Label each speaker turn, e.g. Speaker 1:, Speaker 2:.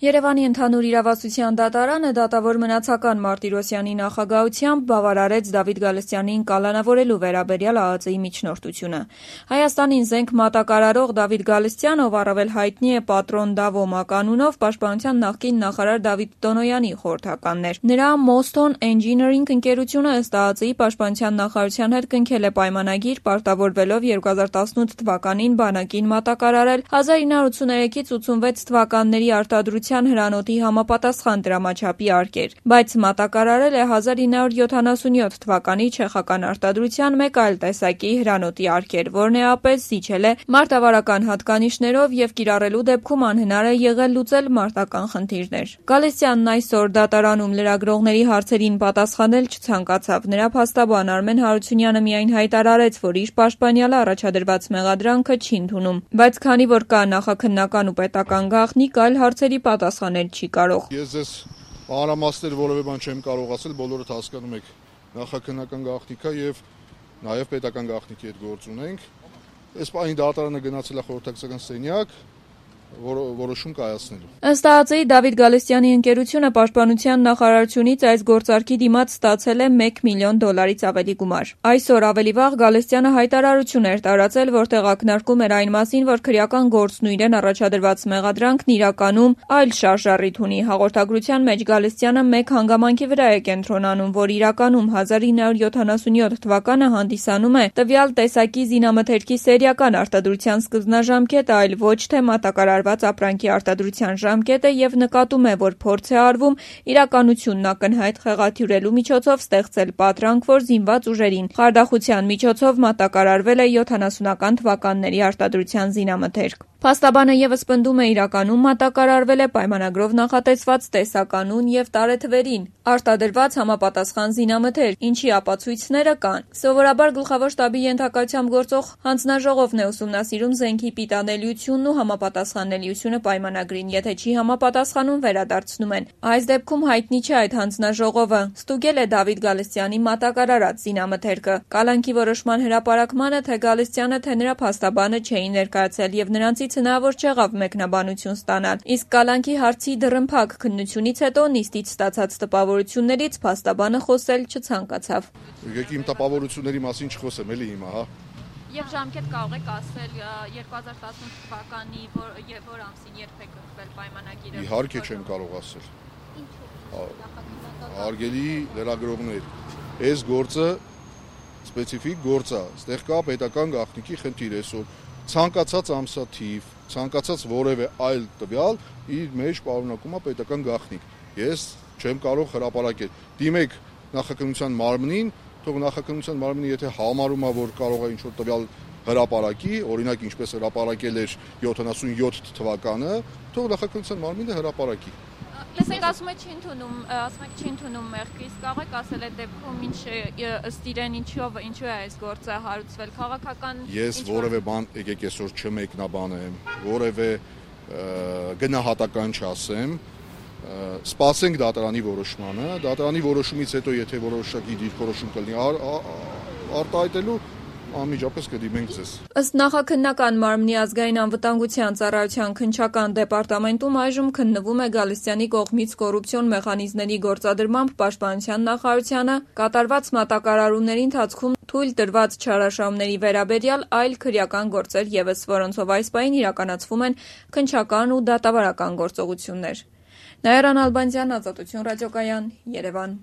Speaker 1: Երևանի ընդհանուր իրավասության դատարանը դատավոր Մնացական Մարտիրոսյանի նախագահությամբ բավարարեց Դավիթ Գալստյանին կալանավորելու վերաբերյալ ԱԱԾ-ի միջնորդությունը։ Հայաստանին զենք մատակարարող Դավիթ Գալստյանը, ով առավել հայտնի է Պատրոն Դավո մականունով, Պաշտպանության նախկին նախարար Դավիթ Տոնոյանի խորհրդականն էր։ Նրա Moston Engineering ընկերությունը ըստ ԱԱԾ-ի Պաշտպանության նախարարության հետ կնքել է պայմանագիր, պարտավորվելով 2018 թվականին բանակին մատակարարել 1983-ից 86 թվականների արտադրության հրանոթի համապատասխան դրամաչափի արկեր, բայց մատակարարել է 1977 թվականի չեխական արտադրության մեկ այլ տեսակի հրանոթի արկեր, որն էապես զիջել է մարտավարական հատկանիշներով եւ կիրառելու դեպքում անհնար է եղել լուծել մարտական խնդիրներ։ Գալստյանն այսօր դատարանում լրագրողների հարցերին պատասխանել չցանկացավ։ Նրա փաստաբան Արմեն Հարությունյանը միայն հայտարարեց, որ իր պաշտպանյալը առաջադրված մեղադրանքը չի ընդունում, բայց քանի որ կա նախաքննական ու պետական գաղտնիք, այլ հարցերի պատասխանել չի կարող։
Speaker 2: Ես ձեզ մանրամասներ որևէ բան չեմ կարող ասել, բոլորդ հասկանում եք նախաքննական գաղտնիքա եւ նաեւ պետական գաղտնիքի հետ գործ ունենք։ Այս պահին դատարանը գնացել է խորհրդակցական սենյակ որոշում կայացնելու։
Speaker 1: Ըստ ԱԱԾ-ի Դավիթ Գալստյանի ընկերությունը Պաշտպանության նախարարությունից այս գործարքի դիմաց ստացել է $1 միլիոն ավելի գումար։ Այսօր ավելի վաղ Գալստյանը հայտարարություն էր տարածել, որտեղ ակնարկում էր այն մասին, որ քրեական գործն ու իրեն առաջադրված մեղադրանքն իրականում այլ շարժառիթ ունի։ Հաղորդագրության մեջ Գալստյանը մեկ հանգամանքի վրա է կենտրոնանում, որ իրականում 1977 թվականը հանդիսանում է տվյալ տեսակի զինամթերքի սերիական արտադրության սկզբնաժամկետը, այլ ոչ թե մատակարարված ապրանքի արտադրության ժամկետը եւ նկատում է, որ փորձ է արվում իրականությունն ակնհայտ խեղաթյուրելու միջոցով ստեղծել պատրանք, որ զինված ուժերին խարդախության միջոցով մատակարարվել է 70-ական թվականների արտադրության զինամթերք։ Փաստաբանը եւս պնդում է իրականում մատակարարվել է պայմանագրով նախատեսված տեսականուն եւ տարեթվերին արտադրված համապատասխան զինամթերք, ինչի ապացույցները կան։ Սովորաբար գլխավոր շտաբի ենթակայությամբ գործող հանձնաժողովն է ուսումնասիրում զենքի պիտանելիությունն ու համապատասխանելիությունը պայմանագրին, եթե չի համապատասխանում, վերադարձնում են։ Այս դեպքում հայտնի չէ այդ հանձնաժողովը ստուգել է Դավիթ Գալստյանի մատակարարած զինամթերքը։ Կալանքի որոշման հրապարակմանը թե Գալստյանը, թե նրա փաստաբանը չէին ներկայացել եւ նրանցից հնարավոր չեղավ մեկնաբանություն ստանալ, իսկ կալանքի հարցի դռնփակ քննությունից հետո նիստից ստացած տպավորություններից փաստաբանը խոսել չցանկացավ։
Speaker 2: Եկեք իմ տպավորությունների մասին չխոսեմ, էլի հիմա, հա։
Speaker 1: Եվ ժամկետ կարող եք ասել 2018 թվականի որ ամսին երբ եք ընտրել պայմանագիրը։
Speaker 2: Իհարկե չեմ կարող ասել։ Հարգելի լրագրողներ, այս գործը սպეციფიկ գործ է, այստեղ կա պետական գաղտնիքի խնդիր այսօր։ Ցանկացած ամսաթիվ, ցանկացած որևէ այլ տվյալ իր մեջ պարունակում է պետական գաղտնիք։ Ես չեմ կարող հրապարակել։ Դիմեք նախաքննության մարմնին, թող նախաքննության մարմինը եթե համարում է, որ կարող է ինչ-որ տվյալ հրապարակի, օրինակ ինչպես հրապարակել էր 77 թվականը, թող նախաքննության մարմինը հրապարակի։
Speaker 1: Լսենք, ասում եք չի ընդունում մեղքը, իսկ կարող եք ասել այդ դեպքում ինչ ըստ իրեն ինչու է այս գործը հարուցվել քաղաքական։
Speaker 2: Ես որևէ բան եկեք այսօր չմեկնաբանեմ, որևէ գնահատական չասեմ, սպասենք դատարանի որոշմանը, դատարանի որոշումից հետո եթե որոշակի դիրքորոշում կլինի արտահայտելու անմիջապես կդիմենք ձեզ։
Speaker 1: Ըստ նախաքննական մարմնի ազգային անվտանգության ծառայության քննչական դեպարտամենտում այժմ քննվում է Գալստյանի կողմից կոռուպցիոն մեխանիզմների գործադրմամբ Պաշտպանության նախարարությանը կատարված մատակարարումների ընթացքում թույլ տրված չարաշահումների վերաբերյալ այլ քրեական գործեր ևս, որոնցով այս պահին իրականացվում են քննչական ու դատավարական գործողություններ։ Նաիրա Նալբանդյան, Ազատություն ռադիոկայան, Երևան։